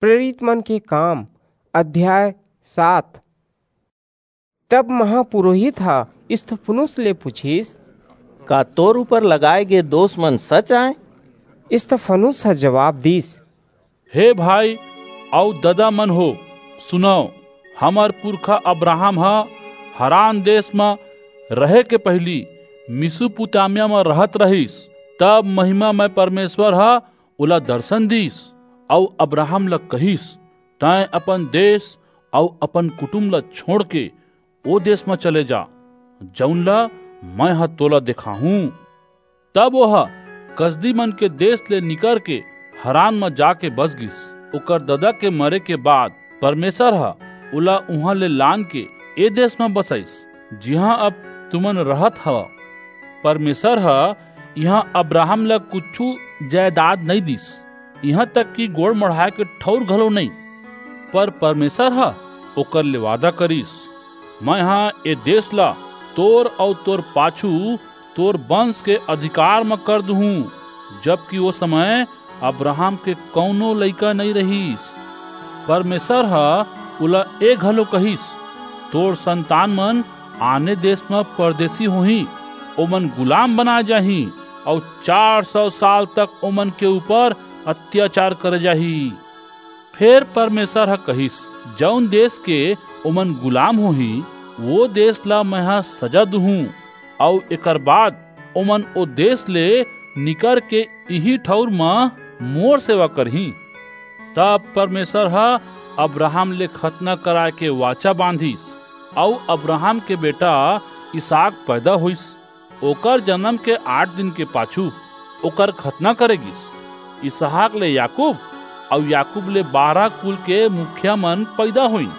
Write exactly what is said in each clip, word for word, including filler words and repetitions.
प्रेरित मन के काम, अध्याय सात। तब महापुरोहित ह स्तिफनुस ले पूछिस, "का तोर ऊपर लगाए गे दोष मन सच आय?" स्तिफनुस ह जवाब दीस, "हे भाई अऊ ददा मन हो, सुनव, हमर पुरखा अब्राहम ह हरान देश म रहे के पहिली मेसोपोटामिया म रहत रहिस। तब महिमामय परमेसर ह ओला दरसन दीस अऊ अब्राहम ला कहिस, 'तैं अपन देश अऊ अपन कुटुम ला छोंड़के ओ देश म चले जा, जऊन ला मैं ह तोला देखाहूं।' तब ओह कसदी मन के देश ले निकरके हरान म जाके बस गिस। ओकर ददा के मरे के बाद परमेसर ह ओला उहां ले लानके ए देश म बसईस, जिहां अब तुमन रहत हव। परमेसर ह इहां अब्राहम ला कुछू जयदाद नइं दीस, इहां तक कि गोड़ मढ़ाय के ठऊर घलो नइं। पर परमेसर ह ओकर ले वादा करिस, 'मैं ह ए देश ला तोर अऊ तोर पाछू तोर बंस के अधिकार म कर दुहूं।' जबकि ओ समय अब्राहम के कऊनो लइका नइं रहिस। परमेसर ह ओला ए घलो कहिस, 'तोर संतान मन आने देश म परदेसी होहीं, ओमन गुलाम बनाय जाहीं, अऊ चार सौ साल तक ओमन के ऊपर अत्याचार करे जाही।' फेर परमेसर ह कहिस, 'जऊन देश के ओमन गुलाम होहीं, ओ देश ला मैं ह सजा दुहूं, अऊ एकर बाद ओमन ओ देश ले निकरके इही ठऊर म मोर सेवा करहीं।' तब परमेसर ह अब्राहम ले खतना कराय के वाचा बांधिस, अऊ अब्राहम के बेटा इसहाक पैदा होईस। ओकर जनम के आठ दिन के पाछू ओकर खतना करे गीस। इसहाक ले याकूब, अऊ याकूब ले बारह कुल के मुखिया मन पैदा होइन।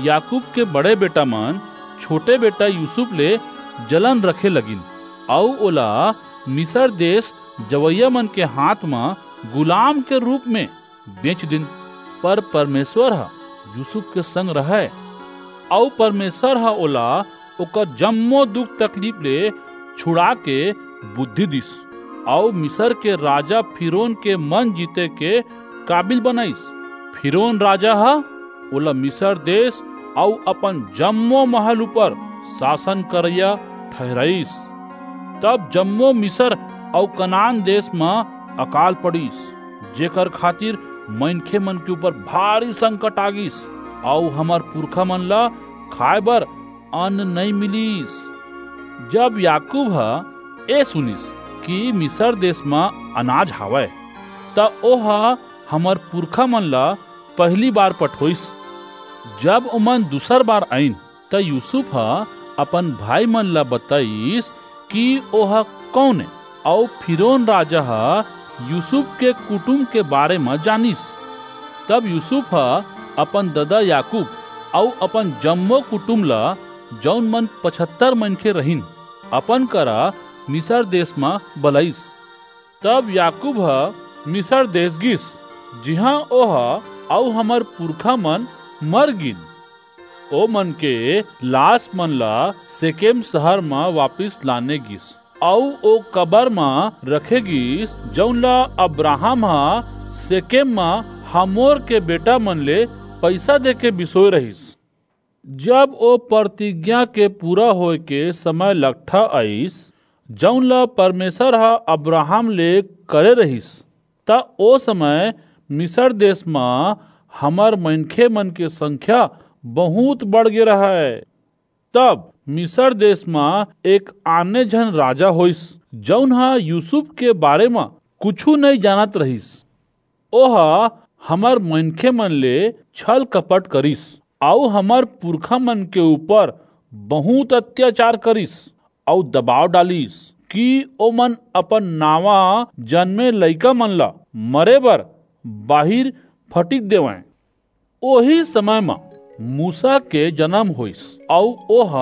याकूब के बड़े बेटा मन छोटे बेटा यूसुफ ले जलन रखे लगिन, अऊ ओला मिसर देश जवइया मन के हाथ म गुलाम के रूप म बेंच दिन। पर परमेसर ह यूसुफ के संग रहय, अऊ परमेसर ह ओला ओकर जम्मो दुख तकलीफ ले छुड़ाके बुद्धि दीस, अऊ मिसर के राजा फिरौन के मन जीते के काबिल बनईस। फिरौन राजा ह ओला मिसर देश अऊ अपन जम्मो महल ऊपर सासन करइया ठहिराईस। तब जम्मो मिसर अऊ कनान देश म अकाल पड़िस, जेकर खातिर मनखे मन के ऊपर भारी संकट आ गीस, अऊ हमर पुरखा मन ला खाय बर अन्न नइं मिलिस। जब याकूब ह ए सुनिस कि मिसर देश म अनाज हावय, त ओह हमर पुरखा मन ला पहिली बार पठोईस। जब ओमन दूसर बार आईन, त यूसुफ ह अपन भाई मन ला बताईस कि ओह कऊन ए, अऊ फिरौन राजा ह यूसुफ के कुटुम के बारे म जानिस। तब यूसुफ ह अपन ददा याकूब अऊ अपन जम्मो कुटुम ला, जऊन मन पचहत्तर मनखे रहिन, अपन करा मिसर देश म बलईस। तब याकूब ह मिसर देश गीस, जिहां ओह अऊ हमर पुरखा मन मर गीन। ओमन के लास मन ला सेकेम सहर म वापिस लाने गीस, अऊ ओ कबर म रखे गीस, जऊन ला अब्राहम ह सेकेम म हमोर के बेटा मन ले पईसा देके बिसोय रहिस। जब ओ परतिज्ञा के पूरा होय के समय लकठा आईस, जऊन ला परमेसर ह अब्राहम ले करे रहिस, त ओ समय मिसर देश म हमर मनखे मन के संख्या बहुंत बढ़ गे रहय। तब मिसर देश म एक आने झन राजा होईस, जऊन ह यूसुफ के बारे म कुछू नइं जानत रहिस। ओह हमर मनखे मन ले छल कपट करिस, अऊ हमर पुरखा मन के ऊपर बहुंत अत्याचार करिस, अऊ दबाव डालिस कि ओमन अपन नावा जनमे लइका मन ला मरे बर बाहिर फटिक देवंय। ओही समय म मूसा के जनम होईस, अऊ ओह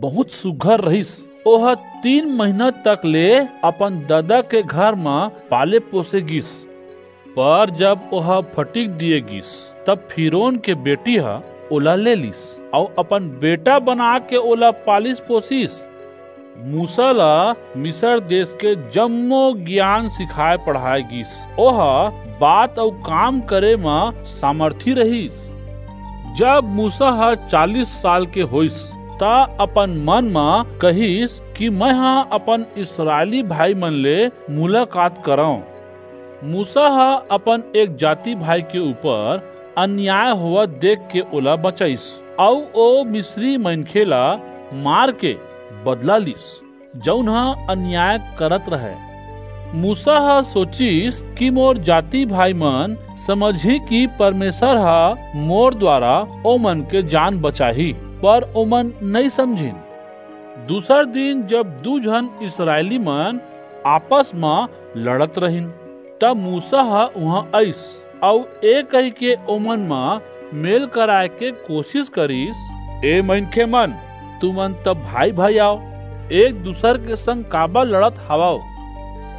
बहुंत सुघर रहिस। ओह तीन महीना तक ले अपन ददा के घर म पाले पोसे गीस। पर जब ओह फटिक दिये गीस, तब फिरौन के बेटी ह ओला ले लीस, अऊ अपन बेटा बनाके ओला पालिस पोसिस। मूसा ला मिसर देश के जम्मो गियान सिखाय पढ़ाय गीस। ओह बात अऊ काम करे म सामर्थी रहिस। जब मूसा ह चालीस साल के होइस, त अपन मन म कहिस कि मैं ह अपन इसराइली भाई मन ले मुलाकात करंव। मूसा ह अपन एक जाति भाई के ऊपर अन्याय होवत देख के ओला बचइस, अऊ ओ मिस्री मनखे ला मार के बदला लिस, जऊन ह अन्याय करत रहय। मूसा ह सोचिस कि मोर जाति भाई मन समझही कि परमेसर ह मोर दुवारा ओमन के जान बचाही, पर ओमन नइं समझिन। दूसर दिन जब दू झन इसराइली मन आपस म लड़त रहिन, त मूसा ह उहां अईस अऊ ए कहिके ओमन म मेल कराय के कोसिस करिस, "ए मनखे मन, तुमन त भाई-भाई आव, एक दूसर के संग काबर लड़त हवव?"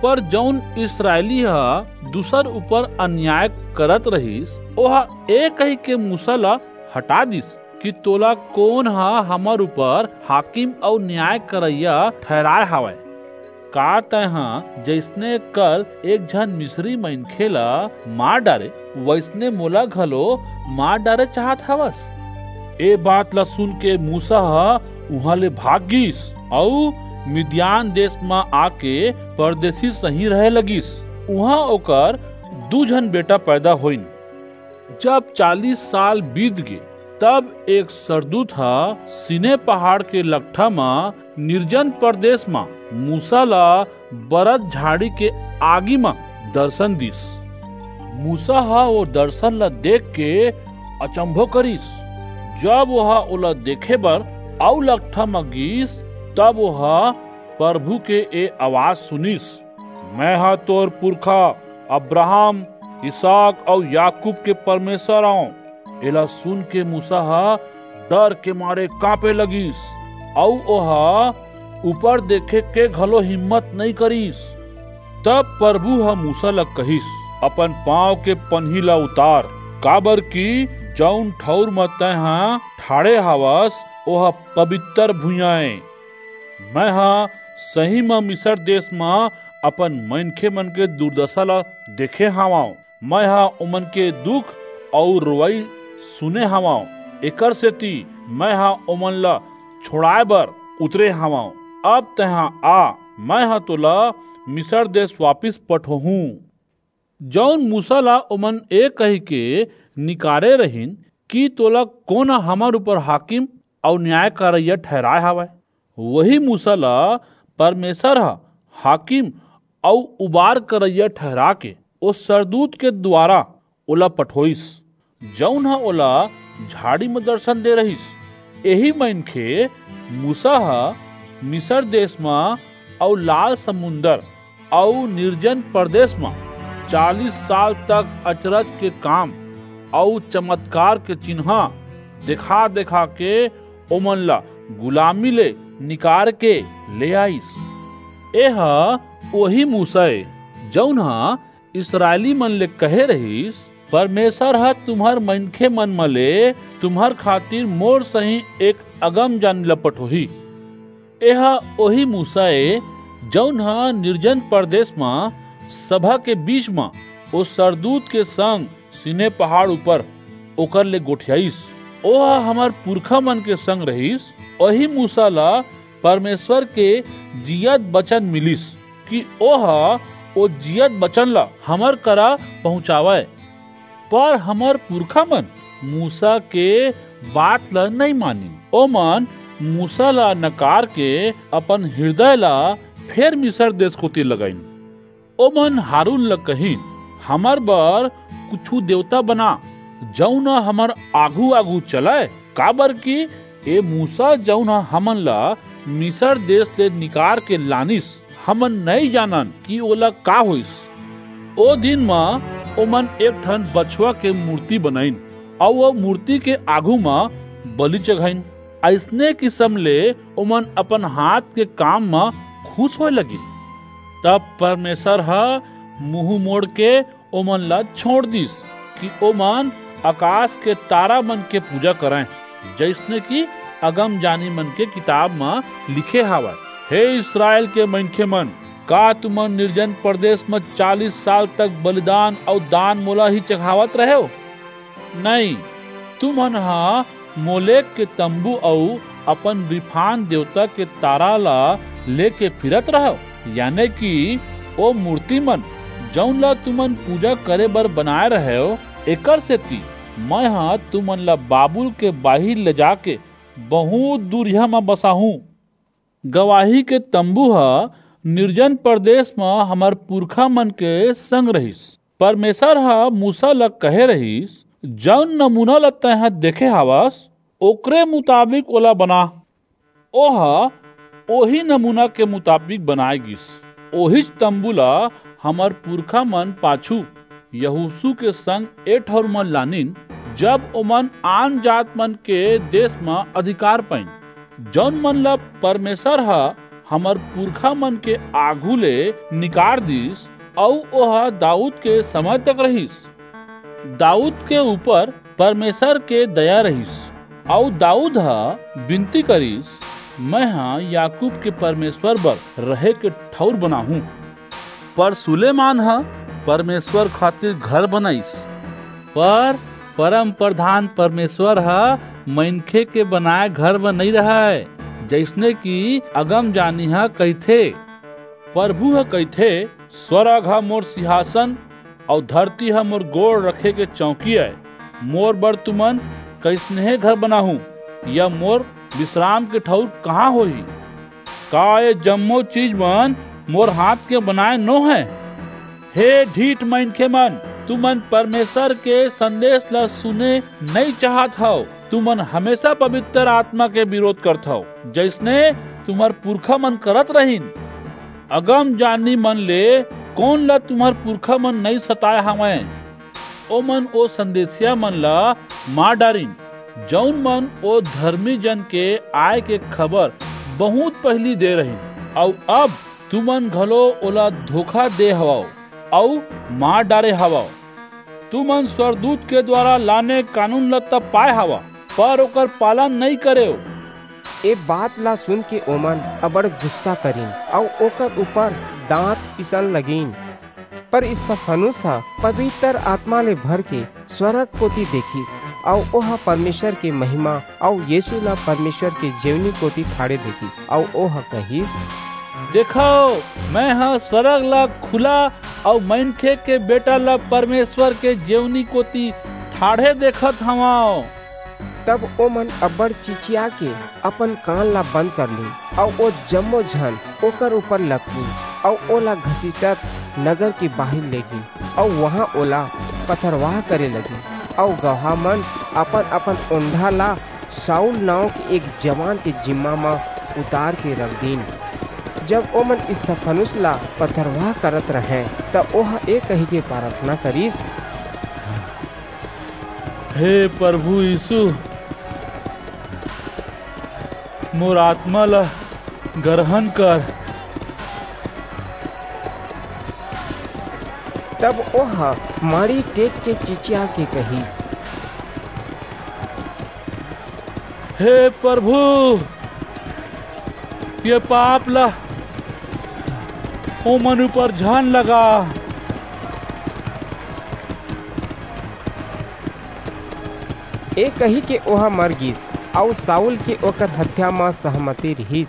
पर जऊन इसराइली ह दूसर ऊपर अन्याय करत रहिस, ओह ए कहिके मूसा ला हटा दिस कि तोला कोन ह हमर ऊपर हाकिम अऊ न्याय करइया ठहराय हवय? का तैंहा जइसने कल एक झन मिस्री मनखे ला मार डारे, वइसने मोला घलो मार डारे चाहत हवस? ए बात ला सुन के मूसा ह उहां ले भाग गीस अऊ मिद्यान देस म आके परदेसी सहीं रहे लगिस। उहां ओकर दू झन बेटा पैदा होइन। जब चालीस साल बीत गे, तब एक सरदूत ह सीने पहाड़ के लकठा म निर्जन परदेस म मूसा ला बरत झाड़ी के आगी म दरसन दीस। मूसा ह ओ दरसन ला देख के अचंभो करिस। जब ओह ओला देखे बर अऊ लकठा म गीस, तब ओह परभू के ए अवाज सुनिस, "मैं ह तोर पुरखा अब्राहम, इसहाक अऊ याकूब के परमेसर अंव।" एला सुन के मूसा ह डर के मारे कांपे लगिस, अऊ ओह ऊपर देखे के घलो हिम्मत नइं करिस। तब परभू ह मूसा ला कहिस, "अपन पांव के पनही ला उतार, काबरकि जऊन ठऊर म तैंहा ठाढ़े हवस, ओह पबितर भुइयां ए। मैं ह सही म मिसर देस म अपन मनखे मन के दुरदसा ला देखे हवंव। मैं ह ओमन के दुख अऊ रोवई सुने हवंव। एकरसेति मैं ह ओमन ला छोंड़ाय बर उतरे हवंव। अब तैंहा आ, मैं ह तोला मिसर देस वापिस पठोहूं।" जऊन मूसा ला ओमन ए कहिके निकारे रहिन कि तोला कोन ह हमर ऊपर हाकिम अऊ न्याय करइया ठहराय हवय, वही मूसा ला परमेसर ह हाकिम अऊ उबार करइया ठहराके ओ सरदूत के दुवारा ओला पठोईस, जऊन ह ओला झाड़ी म दरसन दे रहिस। एही मनखे मूसा ह मिसर देस म अऊ लाल समुंदर अऊ निर्जन परदेस म चालीस साल तक अचरज के काम अऊ चमतकार के चिन्हां देखा-देखा के ओमन ला गुलामी ले निकार के ले आईस। एह ओही मूसा ए, जऊन ह इसरायली मन ले कहे रहिस, "परमेसर ह तुम्हर मनखे मन म ले तुम्हर खातिर मोर सहीं एक अगमजानी ल पठोही।" एह ओही मूसा ए, जऊन ह निर्जन परदेस म सभा के बीच म ओ सरदूत के संग सीने पहाड़ ऊपर ओकर ले गोठियाईस। ओह हमर पुरखा मन के संग रहिस। ओही मूसा ल परमेसर के जियत बचन मिलिस कि ओह ओ जियत बचन ल हमर करा पहुंचावय। पर हमर पुरखा मन मूसा के बात ल नइं मानिन। ओमन मूसा ल नकार के अपन हिरदय ल फेर मिसर देस कोति लगाईन। ओमन हारून ल कहिन, "हमर बर कुछू देवता बना, जऊन ह हमर आघू-आघू चलय, काबरकि ए मूसा, जऊन ह हमन ल मिसर देस ले निकार के लानिस, हमन नइं जानन कि ओला का होईस।" ओ दिन म ओमन एक ठन बछवा के मूरती बनाईन अऊ ओ मूरती के आघू म बलि चघाईन। अइसने किसम ले ओमन अपन हाथ के काम म खुस होय लगिन। तब परमेसर ह मुहूं मोड़ के ओमन ला छोंड़ दीस कि ओमन अकास के तारा मन के पूजा करंय, जइसने कि अगमजानी मन के किताब म लिखे हवय, "हे इसरायल के मनखे मन, का तुमन निर्जन प्रदेश म चालीस साल तक बलिदान अऊ दान मोला ही चघावत रहेव? नहीं, तुमन ह मोलेक के तंबू अऊ अपन रिफान देवता के तारा ला लेके फिरत रहव, याने कि ओ मूर्ति मन, जऊन ला तुमन पूजा करे बर बनाए रहेव। एकर सेती मैं ह तुमन ला बाबुल के बाहिर ले जाके बहुत दूरिहा म बसाहूं। गवाही के तंबू ह निर्जन प्रदेश म हमर पुरखा मन के संग रहिस। परमेसर ह मूसा ल कहे रहिस, "जऊन नमूना ल तैं ह देखे हवस, ओकरे मुताबिक ओला बना।" ओह ओही नमूना के मुताबिक बनाए गिस। ओहीच तंबू ल हमर पुरखा मन पाछू यहोसू के संग ए ठऊर म लानिन, जब ओमन आन जात मन के देस म अधिकार पाइन, जऊन मन ल परमेसर ह हमर पुरखा मन के आघू ले निकार दिस, अऊ ओह दाऊद के समय तक रहिस। दाऊद के ऊपर परमेसर के दया रहिस, अऊ दाऊद ह बिनती करिस, "मैं ह याकूब के परमेसर बर रहे के ठऊर बनाहूं।" पर सुलेमान ह परमेसर खातिर घर बनाइस। पर परम प्रधान परमेसर ह मनखे के बनाए घर म नइं रहय, जइसने कि अगमजानी ह कहिथे, परभू ह कहिथे, "स्वरग ह मोर सिंहासन अऊ धरती ह मोर गोड़ रखे के चौकी अय। मोर बर तुमन कइसनहे घर बनाहू, या मोर बिसराम के ठऊर कहां होही? का ए जम्मो चीज मन मोर हाथ के बनाए नो हय?" हे ढीठ मनखे मन, तुमन परमेसर के संदेस ल सुने नइं चाहत हव। तुमन हमेसा पबितर आतमा के बिरोध करथव, जइसने तुम्हर पुरखा मन करत रहिन। अगमजानी मन ले कोन ल तुम्हर पुरखा मन नइं सताय हवंय? ओमन ओ संदेसिया मन ल मार डारिन, जऊन मन ओ धरमी जन के आय के खबर बहुंत पहिली दे रहिन, अऊ अब तुमन घलो ओला धोखा दे हवव अऊ मार डारे हवव। तुमन स्वरदूत के दुवारा लाने कानून ल त पाय हवव, पर ओकर पालन नइं करेव। ए बात ला सुनके ओमन अबड़ गुस्सा करिन अऊ ओकर ऊपर दांत पीसन लगिन। पर स्तिफनुस ह पबितर आतमा ले भरके स्वरग कोति देखिस, अऊ ओह परमेसर के महिमा अऊ यीसू ला परमेसर के जेवनी कोति ठाढ़े देखिस, अऊ ओह कहिस, "देखव, मैं ह स्वरग ला खुला अऊ मनखे के बेटा ला परमेसर के जेवनी कोति ठाढ़े देखत हवंव।" तब ओमन अबड़ चिचियाके अपन कान ला बंद कर लीन, अऊ ओ जम्मो झन ओकर ऊपर लपकिन, अऊ ओला घसीटत नगर के बाहिर लेगिन, अऊ उहां ओला पथरवाह करे लगिन, अऊ गवाह मन अपन-अपन ओंढ़ा ला साऊल नांव के एक जवान के जिम्मा म उतार के रख दीन। जब ओमन स्तिफनुस ला पथरवाह करत रहंय, त ओह ए कहिके पराथना करिस, "हे परभू यीसू, मोर आतमा ला गरहन कर।" तब ओह माड़ी टेक के चिचियाके कहिस, "हे परभू, ए पाप ला ओमन ऊपर झन लगा।" ए कहिके ओह मर गीस, अऊ साऊल के ओकर हत्या म सहमति रिहिस।